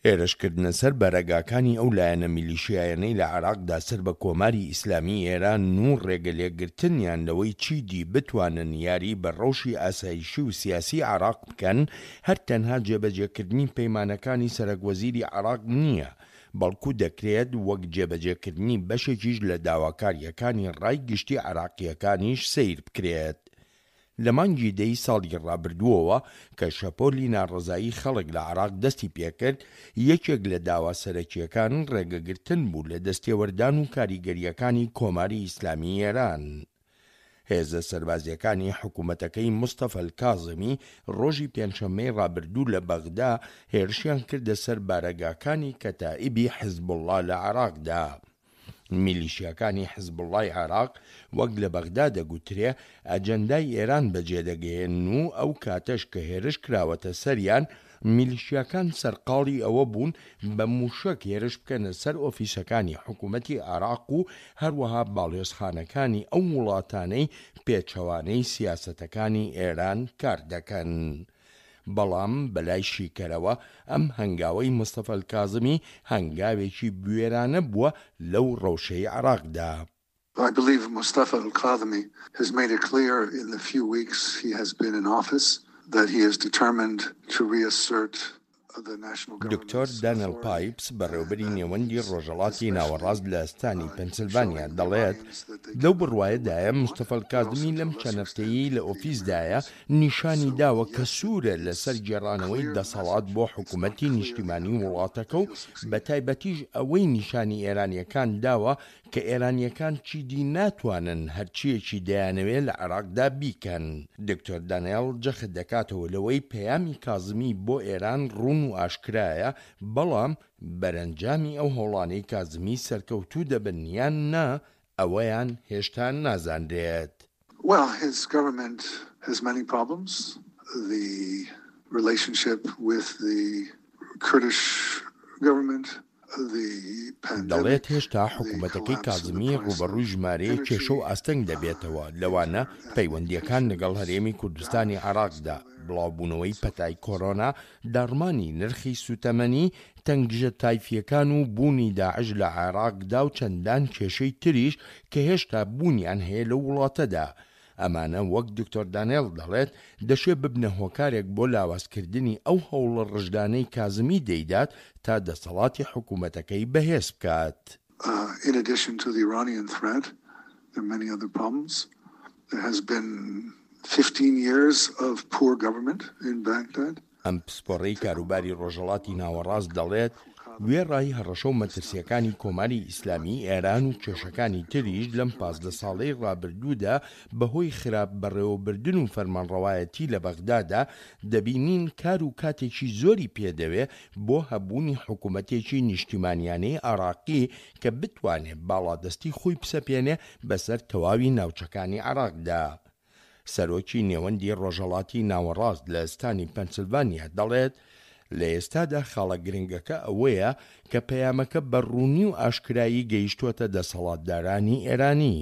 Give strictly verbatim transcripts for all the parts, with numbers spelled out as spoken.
هێرشکردنە سەر بارەگاکانی ئەو لایەنە میلیشیایانەی لە عێراقدا سەر بە کۆماری ئیسلامی ئێران و ڕێگەلێگرتنیان لەوەی چیدی بتوانن یاری بە ڕەوشی ئاسایشی و سیاسی عێراق بکەن، هەر تەنها جێبەجێکردنی پەیمانەکانی سەرەک وەزیری عێراق نییە، بەڵکو دەکرێت وەک جێبەجێکردنی بەشێکیش لە داواکارییەکانی ڕای گشتی عێراقییەکانیش سەیر بکرێت. لە مانگی دەی ساڵی ڕابردووەوە کە شەپۆلی ناڕەزایی خەڵک لە عێراق دەستی پێکرد، یەکێک لە داوا سەرەکییەکان ڕێگەگرتن بوو لە دەستێوەردان و کاریگەرییەکانی کۆماری ئیسلامی ئێران. هێزە سەربازییەکانی حکوومەتەکەی مستەفا کازمی ڕۆژی پێنجشەممەی ڕابردوو لە بەغدا هێرشیان کردە سەر بارەگاکانی کەتائیبی حزبوڵڵا لە عێراقدا. میلیشیاکانی حزبوڵڵای عێراق وەک لە بەغدا دەگوترێ ئەجەندای ئێران بەجێدەگەیەنن و ئەو کاتەش کە هێرش کراوەتە سەریان، میلیشیاکان سەرقاڵی ئەوە بوون بە مووشەک هێرش بکەنە سەر ئۆفیسەکانی حکوومەتی عێراق و هەروەها باڵیۆزخانەکانی ئەو وڵاتانەی پێچەوانەی سیاسەتەکانی ئێران کار دەکەن. بەڵام بەلای شیکەرەوە ئەم هەنگاوەی مستەفا کازمی هەنگاوێکی بوێرانە بووە لەو ڕەوشەی عێراقدا. I believe Mustafa al-Kadhimi has made it clear in the few weeks he has been in office that he is determined to reassert دکتۆر دانیل پایپس، بەڕێوبەری نێوەندی ڕۆژهەڵاتی ناوەڕاست لە ستانی پەنسلڤانیا، دەڵێت لەو بڕوایەدایە مستەفا کازمی لەم چەند هەفتەیەی لە ئۆفیسدایە نیشانی داوە کە سوورە لەسەر گێڕانەوەی دەسەڵات بۆ حکوومەتی نیشتیمانی وڵاتەکە و بە تایبەتیش ئەوەی نیشانی ئێرانیەکان داوە کە ئێرانیەکان چیدی ناتوانن هەرچیەکی دەیانەوێت لە عێراقدا بیکەن. دکتۆر دانیل جەخت دەکاتەوە لەوەی پەیامی کازمی بۆ ئێران ڕوون و ئاشکرایە، بەڵام بەرەنجامی ئەو هەوڵانەی کازمی سەرکەوتوو دەبن یان نا ئەوەیان هێشتا نازانرێت. Well, his government has many problems. The relationship with the Kurdish government, دەڵێت هێشتا حکوومەتەکەی کازمی ڕووبەڕووی ژمارەیەک کێشە و ئاستەنگ دەبێتەوە، لەوانە پەیوەندیەکان لەگەڵ هەرێمی کوردستانی عێراقدا، بڵاوبوونەوەی پەتای کۆرۆنا، داڕمانی نرخی سوتەمەنی، تەنگژە تایفیەکان و بوونی داعش لە عێراقدا و چەندان کێشەی تریش کە هێشتا بوونیان هەیە لەو وڵاتەدا. ئەمانە وەک دکتۆر دانێل دەڵێت دەشێ ببنە هۆکارێک بۆ لاوازکردنی ئەو هەوڵە ڕژدانەی کازمی دەیدات تا دەسەڵاتی حکوومەتەکەی بەهێز بکات. In addition to the Iranian threat, there are many other problems. There has been fifteen years of poor government in Baghdad. ئەم پسپۆڕەی کاروباری ڕۆژهەڵاتی ناوەڕاست دەڵێت وێڕای هەڕەشە و مەترسیەکانی کۆماری ئیسلامی ئێران و کێشەکانی تریش لەم پازدە ساڵەی ڕابردوودا بەهۆی خراپ بەڕێوەبردن و فەرمانڕەوایەتی لە بەغدادا، دەبینین کار و کاتێکی زۆری پێدەوێ بۆ هەبوونی حکوومەتێکی نیشتیمانیانەی عێراقی کە بتوانێت باڵادەستی خۆی بسەپێنێ بەسەر تەواوی ناوچەکانی عێراقدا. سەرۆکی نێوەندی ڕۆژهەڵاتی ناوەڕاست لە ستانی پەنسلڤانیا دەڵێت لە ئێستادا خاڵە گرنگەکە ئەوەیە کە پەیامەکە بە ڕوونی و ئاشکرایی گەیشتووەتە دەسەڵاتدارانی ئێرانی.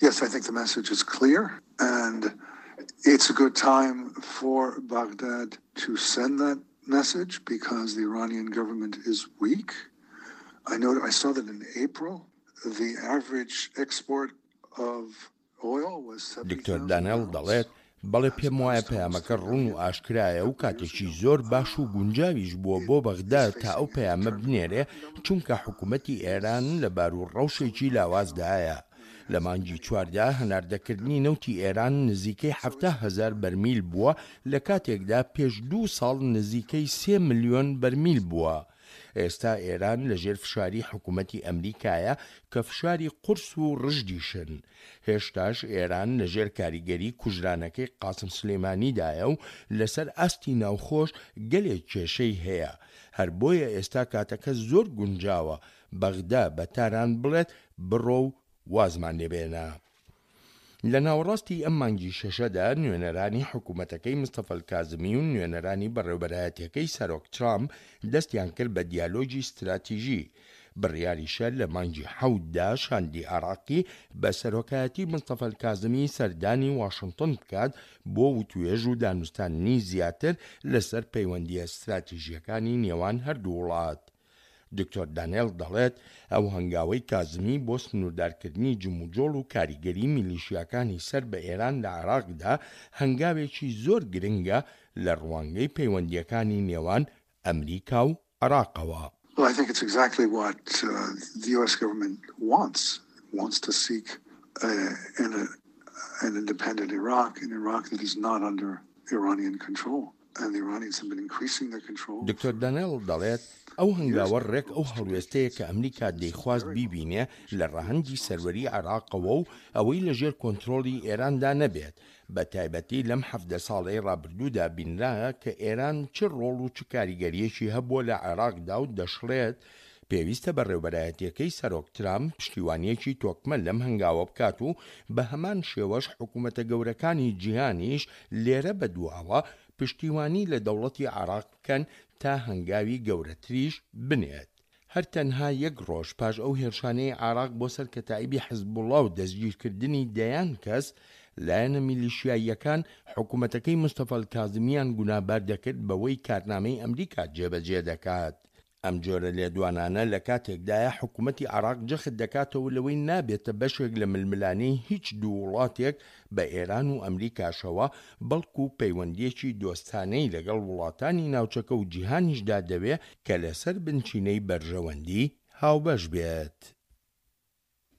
Yes, I think the message is clear and it's a good time for Baghdad to send that message because the Iranian government is weak. I know I saw that in April the average export of oil was دکتۆر دانێل دەڵێت بەڵێ، پێم وایە پەیامەکە ڕوون و ئاشکرایە و کاتێکی زۆر باش و گونجاویش بووە بۆ بەغدا تا ئەو پەیامە بنێرێ، چونکە حکوومەتی ئێران لە بار و ڕەوشێکی لاوازدایە. لە مانگی چواردا هەناردەکردنی نەوتی ئێران نزیکەی حەفتا هەزار بەرمیل بووە، لە کاتێکدا پێش دوو ساڵ نزیکەی سێ ملیۆن بەرمیل بووە. ئێستا ئێران لەژێر فشاری حکوومەتی ئەمریکایە کە فشاری قورس و ڕژدیشن. هێشتاش ئێران لەژێر کاریگەری کوژرانەکەی قاسم سلێمانیدایە و لەسەر ئاستی ناوخۆش گەلێک کێشەی هەیە. هەر بۆیە ئێستا کاتەکە زۆر گونجاوە بەغدا بە تاران بڵێت بڕۆ و وازمان لێبێنە. لە ناوەڕاستی ئەم مانگی شەشەدا نوێنەرانی حکوومەتەکەی مستەفا کازمی و نوێنەرانی بەڕێوبەرایەتیەکەی سەرۆک ترامپ دەستیان کرد بە دیالۆگی ستراتیژی. بڕیاریشە لە مانگی حەوتدا شاندی عێراقی بە سەرۆکایەتی مستەفا الکازمی سەردانی واشنتن بکات بۆ وتوێژ و دانوستاندنی زیاتر لەسەر پەیوەندییە ستراتیژییەکانی نێوان هەردوو وڵات. دکتۆر دانێڵ دەڵێت ئەو هەنگاوەی کازمی بۆ سنووردارکردنی جموجۆڵ و کاریگەری میلیشیاکانی سەر بە ئێران لە عێراقدا هەنگاوێکی زۆر گرنگە لە ڕوانگەی پەیوەندییەکانی نێوان ئەمریکا و عێراقەوە. Well, I think it's exactly what uh, the U S government wants. It wants to seek uh, an, an independent Iraq, an Iraq that is not under Iranian control. And the Iranians have been increasing their control. دکتۆر دانێڵ دەڵێت ئەو هەنگاوە ڕێک ئەو هەڵوێستەیە کە ئەمریکا دەیخواست بیبینێ لە ڕەهەندی سەروەری عێراقەوە و ئەوەی لەژێر کۆنترۆڵی ئێراندا نەبێت. بە تایبەتی لەم حەڤدە ساڵەی ڕابردوودا بینرا کە ئێران چ ڕۆڵ و چ کاریگەریەکی هەبووە لە عێراقدا و دەشڵێت پێویستە بەڕێوبەرایەتیەکەی سەرۆک ترامپ پشتیوانیەکی تۆکمە لەم هەنگاوە بکات و بە هەمان شێوەش حکوومەتە گەورەکانی جیهانیش لێرە بەدواوە پشتیوانی لە دەوڵەتی عێراق بکەن تا هەنگاوی گەورەتریش بنێت. هەر تەنها یەک ڕۆژ پاش ئەو هێرشانەی عێراق بۆ سەر کەتائیبی حزبوڵڵا و دەستگیرکردنی دەیان کەس، لایەنە میلیشیاییەکان حکوومەتەکەی مستەفا الکازمیان گوناهبار دەکرد بەوەی کارنامەی ئەمریکا جێبەجێ دەکات. ئەم جۆرە لێدوانانە لە کاتێکدایە حکوومەتی عێراق جەخت دەکاتەوە لەوەی نابێتە بەشێک لە ململانێی هیچ دوو وڵاتێک بە ئێران و ئەمریکاشەوە، بەڵکو پەیوەندیەکی دۆستانەی لەگەڵ وڵاتانی ناوچەکە و جیهانیشدا دەوێ کە لەسەر بنچینەی بەرژەوەندی هاوبەش بێت.